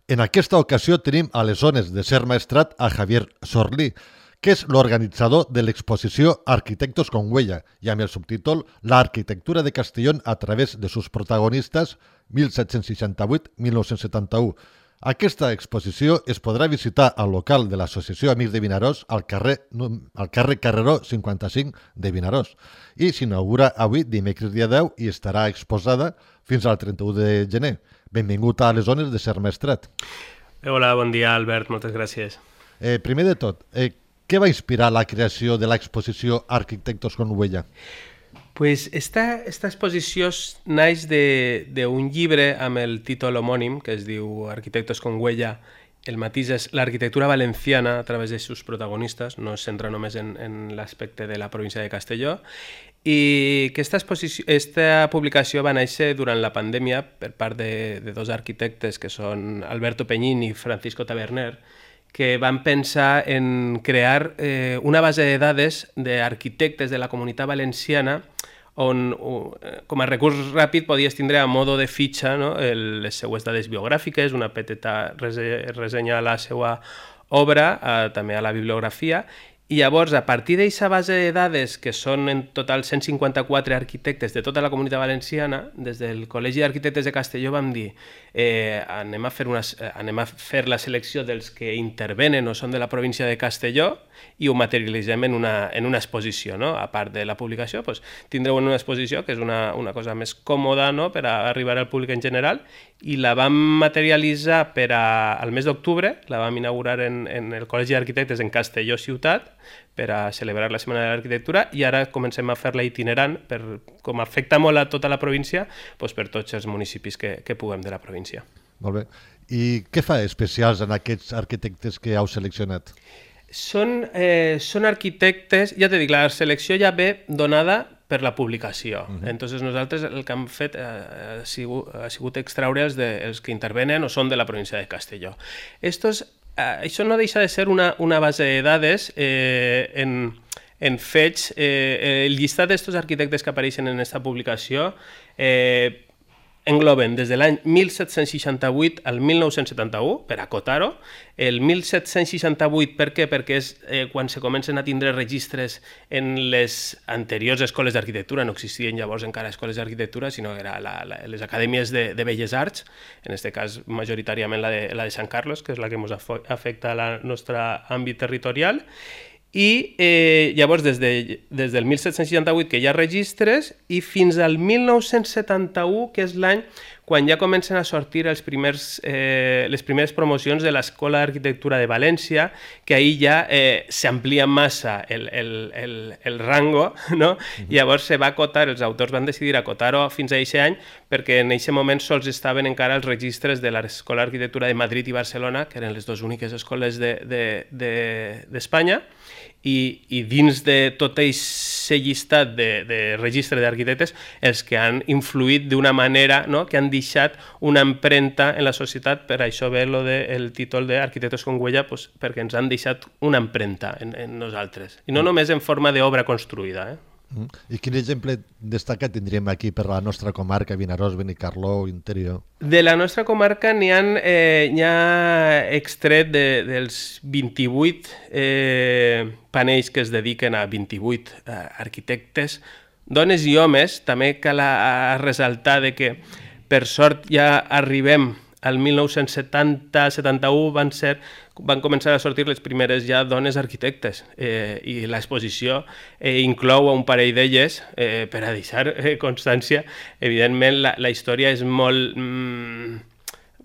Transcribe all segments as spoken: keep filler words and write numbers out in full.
En aquesta ocasió tenim a les zones de Ser Maestrat a Javier Sorlí, que és l'organitzador de l'exposició Arquitectos con Huella i amb el subtítol La arquitectura de Castellón a través de sus protagonistas mil set-cents seixanta-vuit a mil nou-cents setanta-u. Aquesta exposició es podrà visitar al local de l'Associació Amics de Vinaròs al carrer, al carrer Carreró cinquanta-cinc de Vinaròs i s'inaugura avui, dimecres dia deu, i estarà exposada fins al trenta-u de gener. Benvingut a les zones de Ser Maestrat. Hola, bon dia, Albert, moltes gràcies. Eh, primer de tot, eh, què va inspirar la creació de l'exposició Arquitectos con Huella? Pues esta, esta exposició naix d'un llibre amb el títol homònim, que es diu Arquitectos con Huella. El matís és l'arquitectura valenciana a través de sus protagonistes, no es centra només en, en l'aspecte de la província de Castelló, i que esta, esta publicació va néixer durant la pandèmia per part de, de dos arquitectes que són Alberto Peñín i Francisco Taberner, que van pensar en crear eh, una base de dades d'arquitectes de la Comunitat Valenciana on, com a recurs ràpid, podies tindre a modo de fitxa, no? El, les seues dades biogràfiques, una petita ressenya a la seva obra, eh, també a la bibliografia, i llavors, a partir d'aquesta base de dades, que són en total cent cinquanta-quatre arquitectes de tota la Comunitat Valenciana, des del Col·legi d'Arquitectes de Castelló vam dir eh, anem, a fer una, anem a fer la selecció dels que intervenen o són de la província de Castelló i ho materialitzem en una, en una exposició, no? A part de la publicació, doncs, tindreu una exposició que és una, una cosa més còmoda, no? Per a arribar al públic en general, i la vam materialitzar per a, al mes d'octubre, la vam inaugurar en, en el Col·legi d'Arquitectes en Castelló Ciutat per a celebrar la Setmana de l'Arquitectura, i ara comencem a fer-la itinerant, per, com afecta molt a tota la província, doncs per tots els municipis que, que puguem de la província. Molt bé. I què fa especials en aquests arquitectes que heu seleccionat? Són, eh, són arquitectes, ja t'he dit, la selecció ja ve donada per la publicació. Uh -huh. Entonces nosaltres el que hem fet eh, ha, sigut, ha sigut extraure els, de, els que intervenen o són de la província de Castelló. Estos, eh, això no deixa de ser una, una base de dades eh, en, en fets. Eh, el llistat d'estos arquitectes que apareixen en aquesta publicació eh, engloben des de l'any mil set-cents seixanta-vuit al mil nou-cents setanta-u, per acotar-ho. El mil set-cents seixanta-vuit, per què? Perquè és eh, quan se comencen a tindre registres en les anteriors escoles d'arquitectura, no existien llavors encara escoles d'arquitectura, sinó que eren les acadèmies de, de Belles Arts, en aquest cas majoritàriament la de, la de Sant Carlos, que és la que ens afecta al nostre àmbit territorial. I eh, llavors des, de, des del mil set-cents seixanta-vuit que hi ha registres i fins al mil nou-cents setanta-u, que és l'any quan ja comencen a sortir els primers, eh, les primeres promocions de l'Escola d'Arquitectura de València, que ahir ja eh, s'amplia massa el, el, el, el rango, no? Uh-huh. Llavors se va acotar, els autors van decidir acotar-ho fins a aquest any, perquè en aquest moment sols estaven encara els registres de l'Escola d'Arquitectura de Madrid i Barcelona, que eren les dues úniques escoles d'Espanya, de, de, de I, i dins de tot aquest llistat de, de registre d'arquitectes, els que han influït d'una manera, no? Que han deixat una empremta en la societat, per això ve lo de, el títol d'Arquitectos con Huella, pues, perquè ens han deixat una empremta en, en nosaltres, i no només en forma d'obra construïda, eh? I quin exemple destacat tindríem aquí per la nostra comarca, Vinaròs, Benicarló, Interior? De la nostra comarca n'hi ha, eh, n'hi ha extret de, dels vint-i-vuit eh, panells que es dediquen a vint-i-vuit eh, arquitectes, dones i homes. També cal a, a ressaltar de que per sort ja arribem al mil nou-cents setanta setanta-u van ser van començar a sortir les primeres ja dones arquitectes eh, i l'exposició eh, inclou un parell d'elles eh, per a deixar eh, constància. Evidentment la, la història és molt mm,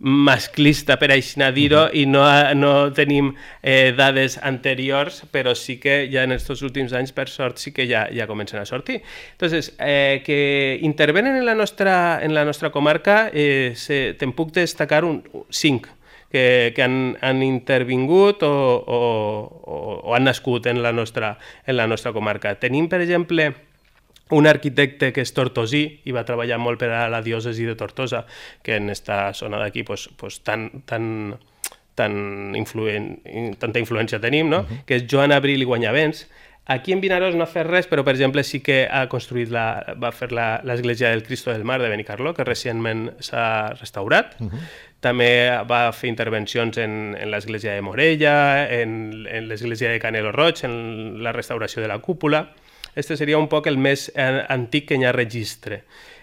masclista, per així dir-ho, i no, no tenim eh, dades anteriors, però sí que ja en aquests últims anys, per sort, sí que ja, ja comencen a sortir. Entonces, eh, que intervenen en la nostra, en la nostra comarca, eh, se, te'n puc destacar un, cinc que, que han, han intervingut o, o, o, o han nascut en la nostra, en la nostra comarca. Tenim, per exemple, un arquitecte que és tortosí i va treballar molt per a la diòcesi de Tortosa, que en aquesta zona d'aquí pues, pues, tan, tan, tan influent, tanta influència tenim, no? Uh-huh. Que és Joan Abril i Guanyavents. Aquí en Vinaròs no ha fet res, però per exemple sí que ha construït la, va fer l'església del Cristo del Mar de Benicarló, que recentment s'ha restaurat. Uh-huh. També va fer intervencions en, en l'església de Morella, en, en l'església de Canelo Roig, en la restauració de la cúpula. Este seria un poc el més antic que hi ha registre.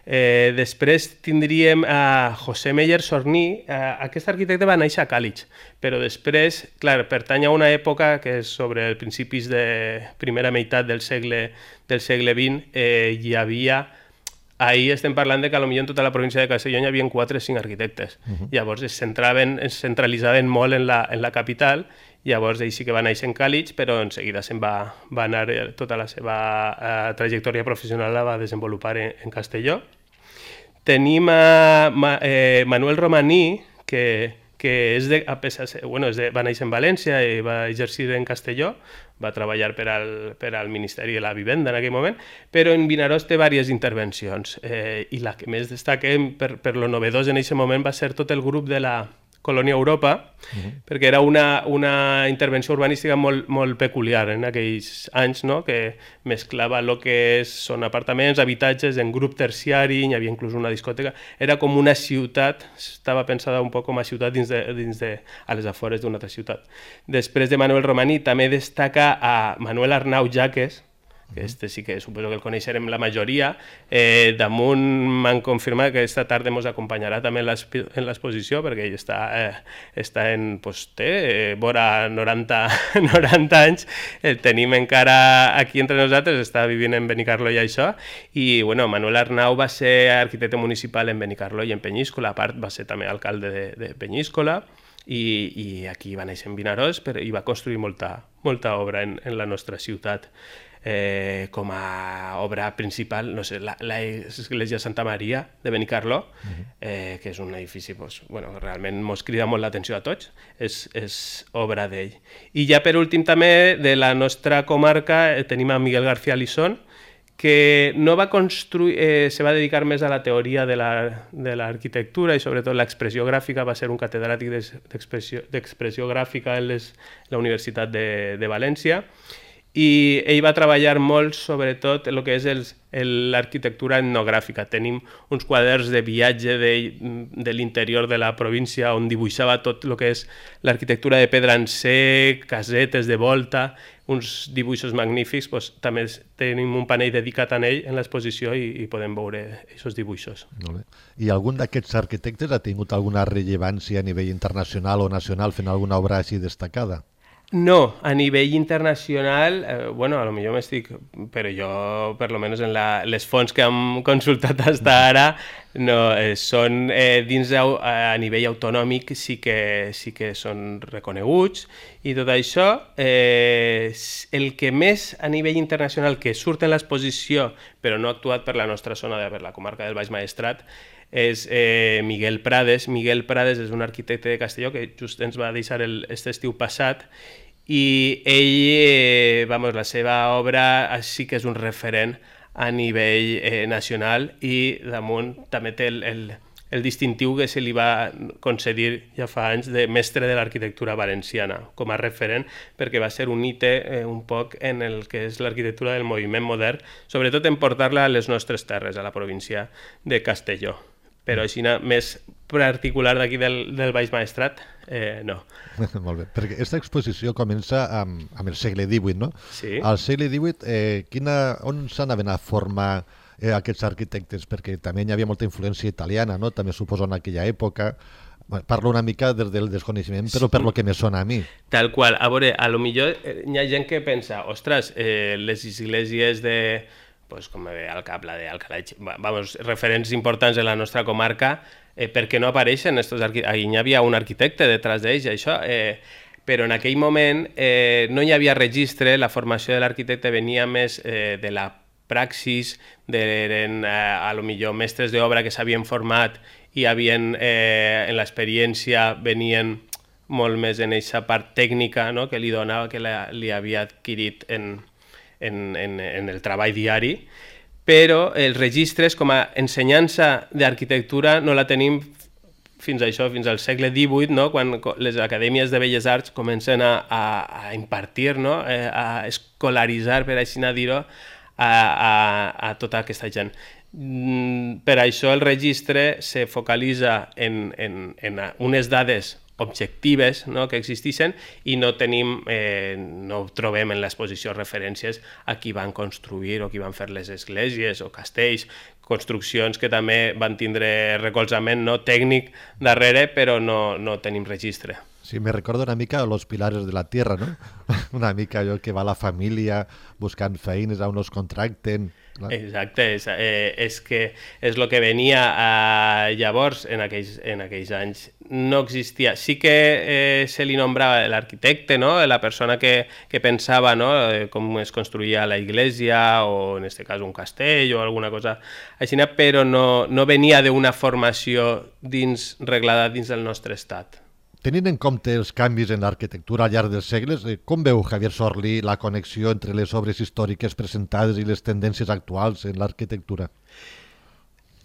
Eh, després tindríem a José Meyer Sorní. Eh, aquest arquitecte va néixer a Càlig, però després, clar, pertany a una època que és sobre els principis de primera meitat del segle, del segle vint, eh, hi havia... Ahir estem parlant de que potser en tota la província de Castelló hi havia quatre o cinc arquitectes. Uh-huh. Llavors es centraven, es centralitzaven molt en la, en la capital. Llavors ell sí que va néixer en Càlig, però en seguida se'n va, va anar, tota la seva uh, trajectòria professional la va desenvolupar en, en Castelló. Tenim a Ma, eh, Manuel Romaní, que, que és de, a pesar, bueno, és de, va néixer en València i va exercir en Castelló, va treballar per al, per al Ministeri de la Vivenda en aquell moment, però en Vinaròs té diverses intervencions, eh, i la que més destaquem per, per lo novedós en aquest moment va ser tot el grup de la Colònia Europa, uh-huh. perquè era una, una intervenció urbanística molt, molt peculiar en aquells anys, no? Que mesclava el que és, són apartaments, habitatges en grup terciari, hi havia inclús una discoteca, era com una ciutat, estava pensada un poc com a ciutat dins de, dins de, a les afores d'una altra ciutat. Després de Manuel Romaní també destaca a Manuel Arnau Jaques, que este sí que suposo que el coneixerem la majoria. Eh, damunt m'han confirmat que aquesta tarda ens acompanyarà també en l'exposició, perquè ell està, eh, està en, pues, té, eh, vora noranta, noranta anys, el tenim encara aquí entre nosaltres, està vivint en Benicarló i això, i bueno, Manuel Arnau va ser arquitecte municipal en Benicarló i en Penyíscola, a part va ser també alcalde de, de Penyíscola, i, i aquí va néixer en Vinaròs, però i va construir molta, molta obra en, en la nostra ciutat. Eh, com a obra principal, no sé, l'església Santa Maria de Benicarló, uh-huh. eh, que és un edifici, pues, bueno, realment mos crida molt l'atenció a tots, és, és obra d'ell. I ja per últim també de la nostra comarca eh, tenim a Miguel García Lisón, que no va construir, eh, se va dedicar més a la teoria de l'arquitectura i sobretot l'expressió gràfica, va ser un catedràtic d'expressió gràfica en les, la Universitat de, de València, i ell va treballar molt sobretot el que és l'arquitectura etnogràfica. Tenim uns quaderns de viatge de, de l'interior de la província on dibuixava tot el que és l'arquitectura de pedra en sec, casetes de volta, uns dibuixos magnífics. Pues, també tenim un panell dedicat a ell en l'exposició i, i podem veure aquests dibuixos. Molt bé. I algun d'aquests arquitectes ha tingut alguna rellevància a nivell internacional o nacional fent alguna obra així destacada? No, a nivell internacional, eh, bueno, a lo millor m'estic, però jo, per lo menos en la, les fonts que hem consultat fins ara, no, eh, són eh, dins a, a nivell autonòmic sí que, sí que són reconeguts i tot això. Eh, el que més a nivell internacional que surt en l'exposició, però no ha actuat per la nostra zona, per la comarca del Baix Maestrat, és eh, Miguel Prades. Miguel Prades és un arquitecte de Castelló que just ens va deixar aquest estiu passat i ell, eh, vamos, la seva obra sí que és un referent a nivell eh, nacional i damunt també té el, el, el distintiu que se li va concedir ja fa anys de mestre de l'arquitectura valenciana com a referent, perquè va ser un hite eh, un poc en el que és l'arquitectura del moviment modern, sobretot en portar-la a les nostres terres, a la província de Castelló. Però així més particular d'aquí del, del Baix Maestrat, eh, no. Molt bé, perquè aquesta exposició comença amb, amb el segle divuit, no? Sí. Al segle divuit, eh, quina, on s'anaven a formar eh, aquests arquitectes? Perquè també hi havia molta influència italiana, no? També suposo en aquella època. Parlo una mica des del desconeixement, però per lo que me sona a mi. Tal qual. A veure, a lo millor hi ha gent que pensa, ostres, eh, les esglésies de... pues, com me ve al cap la d'Alcalà, vamos, referents importants de la nostra comarca, eh, perquè no apareixen estos arquitectes. Ahí hi havia un arquitecte detrás d'ells, això, eh, però en aquell moment eh, no hi havia registre, la formació de l'arquitecte venia més eh, de la praxis, eren eh, a lo millor mestres d'obra que s'havien format i havien, eh, en l'experiència venien molt més en aquesta part tècnica, no?, que li donava, que la, li havia adquirit en En, en, en el treball diari, però els registres com a ensenyança d'arquitectura no la tenim fins a això, fins al segle divuit, no? Quan les acadèmies de Belles Arts comencen a, a, a impartir, no? eh, a escolaritzar, per així dir-ho, a, a, a tota aquesta gent. Mm, per això el registre se focalitza en, en, en unes dades objectives, no?, que existeixen, i no tenim, eh, no trobem en l'exposició referències a qui van construir o qui van fer les esglésies o castells, construccions que també van tindre recolzament, no, tècnic darrere, però no, no tenim registre. Sí, me recordo una mica Los Pilares de la Tierra, ¿no? Una mica allò que va la família buscant feines, a on els contracten... Exacte, és, eh, és que és el que venia a, llavors, en aquells, en aquells anys. No existia. Sí que eh, se li nombrava l'arquitecte, no?, la persona que, que pensava, no?, com es construïa la iglesia o, en aquest cas, un castell o alguna cosa així, però no, no venia d'una formació dins, reglada dins del nostre estat. Tenint en compte els canvis en l'arquitectura al llarg dels segles, com veu Javier Sorlí la connexió entre les obres històriques presentades i les tendències actuals en l'arquitectura?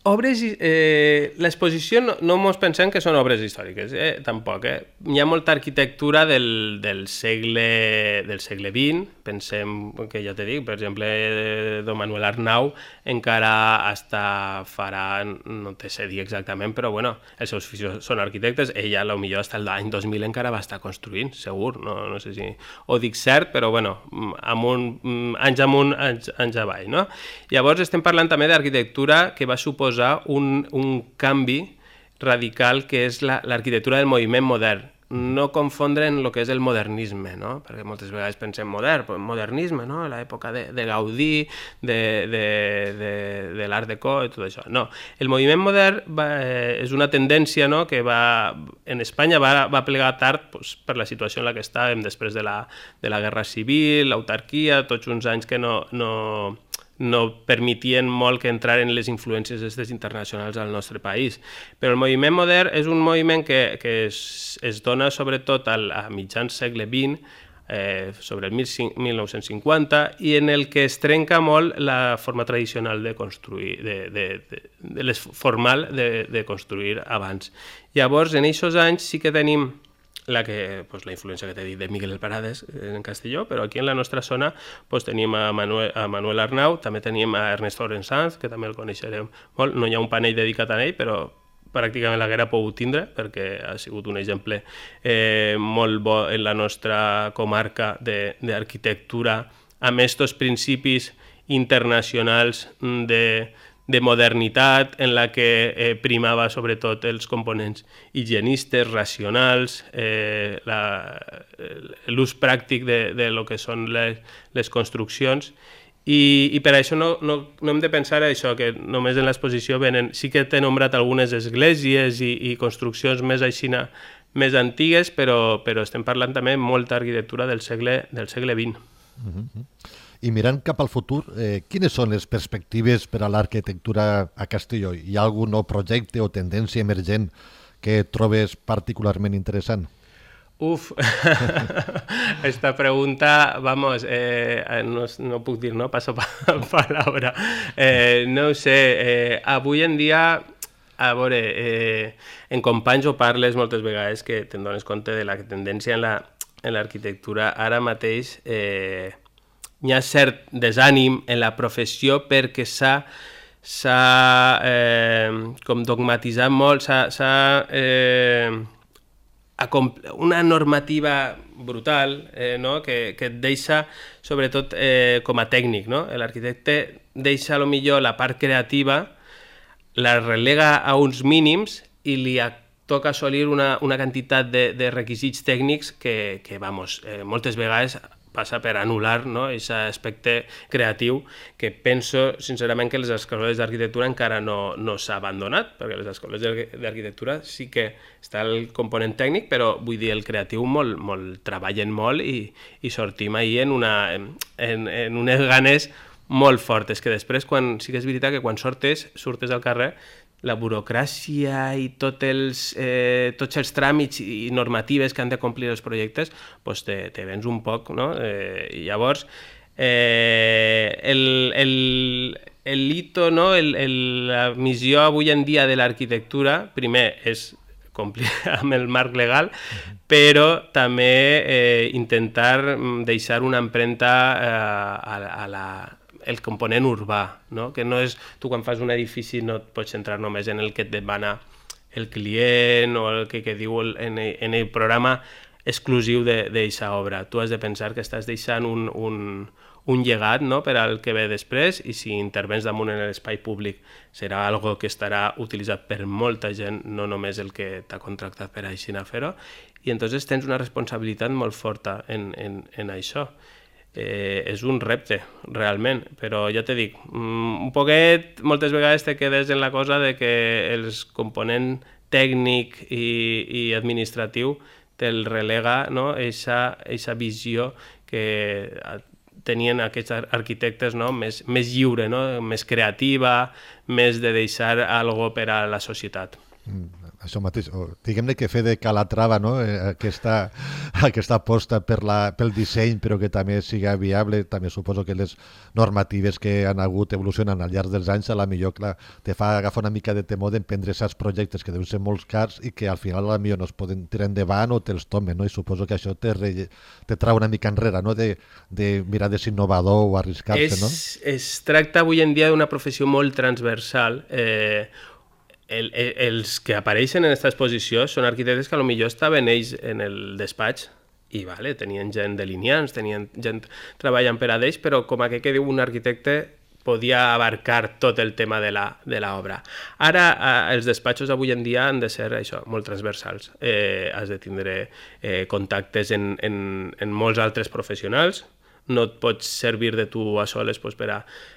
Obres, eh, l'exposició no, no mos pensem que són obres històriques, eh, tampoc. Eh? Hi ha molta arquitectura del, del, segle, del segle vint, pensem que ja t'he dit, per exemple, don Manuel Arnau encara hasta farà, no te sé dir exactament, però bueno, els seus fills són arquitectes, ella potser hasta l'any dos mil encara va estar construint, segur, no, no sé si ho dic cert, però bueno, amunt, anys amunt, anys, anys avall, no? Llavors estem parlant també d'arquitectura que va suposar Un, un canvi radical que és l'arquitectura del moviment modern. No confondre en el que és el modernisme, no? Perquè moltes vegades pensem modern, modernisme, no? L'època de, de Gaudí, de, de, de, de l'Art Déco i tot això. No, el moviment modern va, eh, és una tendència, no?, que va, en Espanya va, va plegar tard, pues, per la situació en la que estàvem després de la, de la Guerra Civil, l'autarquia, tots uns anys que no... no no permetien molt que entraren les influències aquestes internacionals al nostre país. Però el moviment modern és un moviment que, que es, es dona sobretot al, a mitjans segle vint, eh, sobre el mil nou-cents cinquanta, i en el que es trenca molt la forma tradicional de construir, de, de, de, de les formal de, de construir abans. Llavors, en aquests anys sí que tenim la, que, pues, la influència que t'he dit de Miguel Parades en Castelló, però aquí en la nostra zona pues, tenim a Manuel, a Manuel Arnau, també tenim a Ernesto Orensanz, que també el coneixerem molt, no hi ha un panell dedicat a ell, però pràcticament l'haguera pogut tindre, perquè ha sigut un exemple eh, molt bo en la nostra comarca d'arquitectura, amb aquests principis internacionals de de modernitat en la que eh, primava sobretot els components higienistes, racionals, eh, l'ús pràctic de, de lo que són les, les construccions, i, i per això no, no, no hem de pensar això, que només en l'exposició venen, sí que t'he nombrat algunes esglésies i, i construccions més aixina, més antigues, però, però estem parlant també molta arquitectura del segle, del segle vint. Mm-hmm. I mirant cap al futur, eh, quines són les perspectives per a l'arquitectura a Castelló? Hi ha algun nou projecte o tendència emergent que trobes particularment interessant? Uf, esta pregunta, vamos, eh, no, no puc dir, no? Passo palabra. Eh, no ho sé, eh, avui en dia, a veure, eh, en companys ho parles moltes vegades que te'n dones compte de la tendència en l'arquitectura. Ara mateix eh, hi ha cert desànim en la professió perquè s'ha s'ha eh, com dogmatitzat molt, s'ha eh, una normativa brutal, eh, no? que, que et deixa, sobretot eh, com a tècnic, no? L'arquitecte deixa a lo millor la part creativa, la relega a uns mínims i li toca assolir una, una quantitat de, de requisits tècnics que, que vamos, eh, moltes vegades passa per anul·lar, no?, aquest aspecte creatiu que penso sincerament que les escoles d'arquitectura encara no, no s'ha abandonat, perquè les escoles d'arquitectura sí que està el component tècnic, però vull dir, el creatiu molt, molt, treballen molt i, i sortim ahir en, una, en, en unes ganes molt fortes, que després, quan, sí que és veritat que quan sortes, surtes al carrer, la burocràcia i tot els, eh, tots els tràmits i normatives que han de complir els projectes, pues te, te vens un poc, no? Eh, i llavors, eh, el, el, el hito, no? el, el, la missió avui en dia de l'arquitectura, primer, és complir amb el marc legal, però també eh, intentar deixar una empremta eh, a, a la, el component urbà, no? Que no és, tu quan fas un edifici no et pots centrar només en el que et demana el client o el que, que diu el, en, el, en el programa exclusiu d'aquesta obra. Tu has de pensar que estàs deixant un, un, un llegat, no?, per al que ve després, i si intervens damunt en l'espai públic serà algo que estarà utilitzat per molta gent, no només el que t'ha contractat per així a fer-ho, i entonces tens una responsabilitat molt forta en, en, en això. Eh, és un repte, realment, però ja te dic, un poquet, moltes vegades te quedes en la cosa de que els component tècnic i, i administratiu te'l relega, no?, eixa, eixa visió que tenien aquests arquitectes, no?, més, més lliure, no?, més creativa, més de deixar algo per a la societat. Mm, això mateix, diguem-ne que fer de Calatrava, no?, aquesta, aquesta aposta per la, pel disseny, però que també siga viable. També suposo que les normatives que han hagut evolucionant al llarg dels anys, a la millor, clar, te fa agafar una mica de temor d'emprendre aquests projectes que deuen ser molt cars i que al final a la millor no es poden tirar endavant o te'ls tomen, no? I suposo que això te, re, te trau una mica enrere, no?, de, de mirar de ser innovador o arriscar-se, no? Es, es tracta avui en dia d'una professió molt transversal. Eh, El, el, els que apareixen en aquesta exposició són arquitectes que potser estaven ells en el despatx i vale, tenien gent delineants, tenien gent treballant per a ells, però com a que diu un arquitecte podia abarcar tot el tema de l'obra. Ara, eh, els despatxos avui en dia han de ser això, molt transversals. Eh, has de tindre eh, contactes en, en, en molts altres professionals, no et pots servir de tu a soles pues, per a...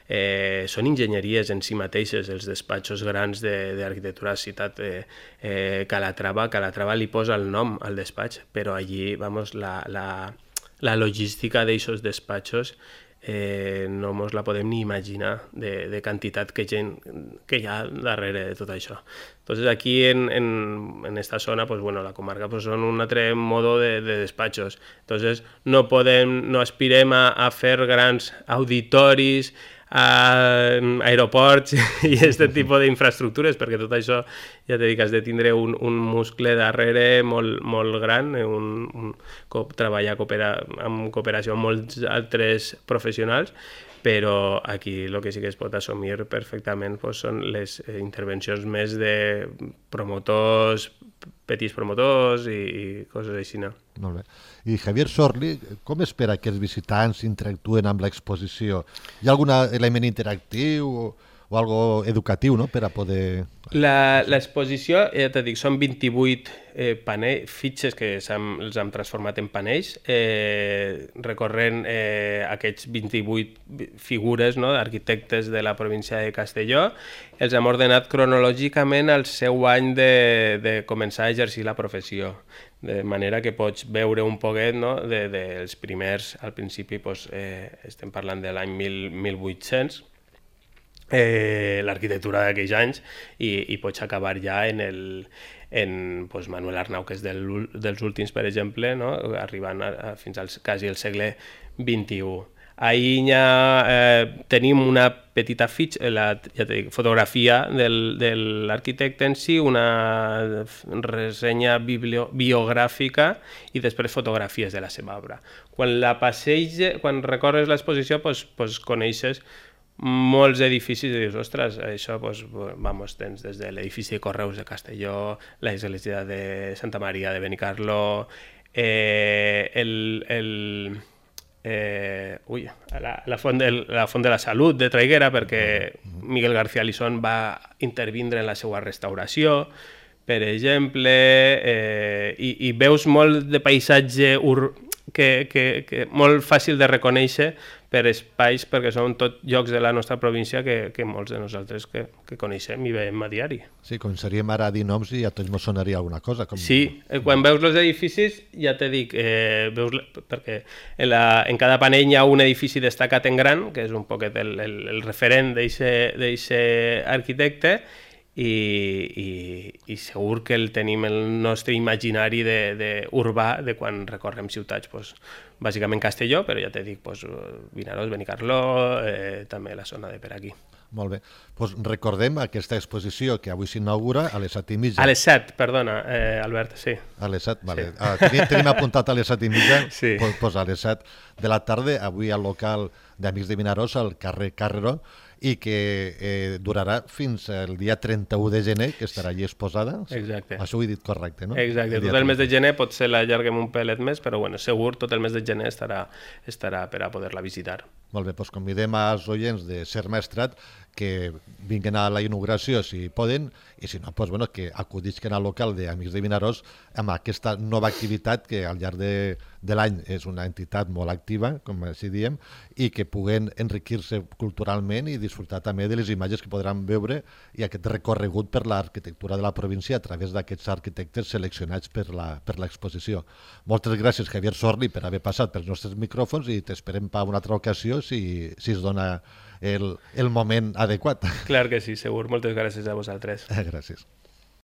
Eh, són enginyeries en si mateixes, els despatxos grans d'arquitectura de, de citat eh, eh, Calatrava. Calatrava li posa el nom al despatx, però allí, vamos, la, la, la logística d'aquests despatxos eh, no ens la podem ni imaginar de, de quantitat que gent que hi ha darrere de tot això. Entonces aquí en, en, en esta zona, pues bueno, la comarca pues son un altre modo de, de despachos. Entonces no podem, no aspirem a, a fer grans auditoris, a aeroports i aquest tipus d'infraestructures, perquè tot això ja t'he dit que has de tindre un, un muscle darrere molt, molt gran, un, un, treballar coopera, en cooperació amb molts altres professionals, però aquí el que sí que es pot assumir perfectament pues, són les intervencions més de promotors, petits promotors i, i coses així. No? Molt bé. I Javier Sorli, com espera que els visitants interactuen amb l'exposició? Hi ha algun element interactiu o, o algo educatiu, no?, per a poder... L'exposició, ja t'he dit, són vint-i-vuit eh, panells, fitxes que hem, els hem transformat en panells, eh, recorrent eh, aquests vint-i-vuit figures, no?, d'arquitectes de la província de Castelló. Els hem ordenat cronològicament al seu any de, de començar a exercir la professió, de manera que pots veure un poquet, no?, de, dels primers, al principi pues, eh, estem parlant de l'any mil vuit-cents, Eh, l'arquitectura d'aquells anys i, i pots acabar ja en, el, en pues, Manuel Arnau, que és del, dels últims, per exemple, no? Arribant a, a, fins al quasi el segle vint-i-u. Ahir ja eh, tenim una petita fitxa, la ja dic, fotografia del, de l'arquitecte en si, una ressenya biblio, biogràfica i després fotografies de la seva obra. Quan la passeges, quan recorres l'exposició, pues, pues, coneixes molts edificis i dius, ostres, això, pues, vamos, tens des de l'edifici de Correus de Castelló, l'església de Santa Maria de Benicarló, eh, el, el, eh, ui, la, la, font de, la Font de la Salut de Traiguera, perquè Miguel García Lisón va intervindre en la seva restauració, per exemple, eh, i, i veus molt de paisatge ur, que, que, que molt fàcil de reconèixer per espais, perquè són tot llocs de la nostra província que, que molts de nosaltres que, que coneixem i veiem a diari. Sí, començaríem ara a dir noms i a tots ens sonaria alguna cosa. Com... Sí, quan veus els edificis, ja te dic, eh, veus, perquè en, la, en cada panell hi ha un edifici destacat en gran, que és un poquet el, el, el referent d'aquest arquitecte, i, i, i segur que el tenim el nostre imaginari de, de urbà de quan recorrem ciutats, pues, bàsicament Castelló, però ja t'he dit, pues, Vinaròs, Benicarló, eh, també la zona de per aquí. Molt bé. Pues recordem aquesta exposició que avui s'inaugura a les set i mitja. A les set, perdona, eh, Albert, sí. A les set, vale. Sí. Ah, tenim, tenim apuntat a les set i mitja, Sí. pues, pues a les set de la tarda, avui al local d'Amics de Vinaròs, al carrer Carreró, i que eh, durarà fins al dia trenta-u de gener, que estarà allí exposada. Exacte. Això ho he dit correcte, no? Exacte, tot el mes de gener potser l'allarguem un pelet més, però bueno, segur tot el mes de gener estarà, estarà per a poder-la visitar. Molt bé, doncs convidem als oients de Ser Maestrat que vinguin a la inauguració si poden, i si no, doncs, bueno, que acudisquen al local d'Amics de Vinaròs amb aquesta nova activitat que al llarg de, de l'any és una entitat molt activa, com així diem, i que puguen enriquir-se culturalment i disfrutar també de les imatges que podran veure i aquest recorregut per l'arquitectura de la província a través d'aquests arquitectes seleccionats per la, per l'exposició. Moltes gràcies, Javier Sorli, per haver passat pels nostres micròfons i t'esperem per una altra ocasió si, si es dona el, el moment adequat. Clar que sí, segur. Moltes gràcies a vosaltres. Gràcies.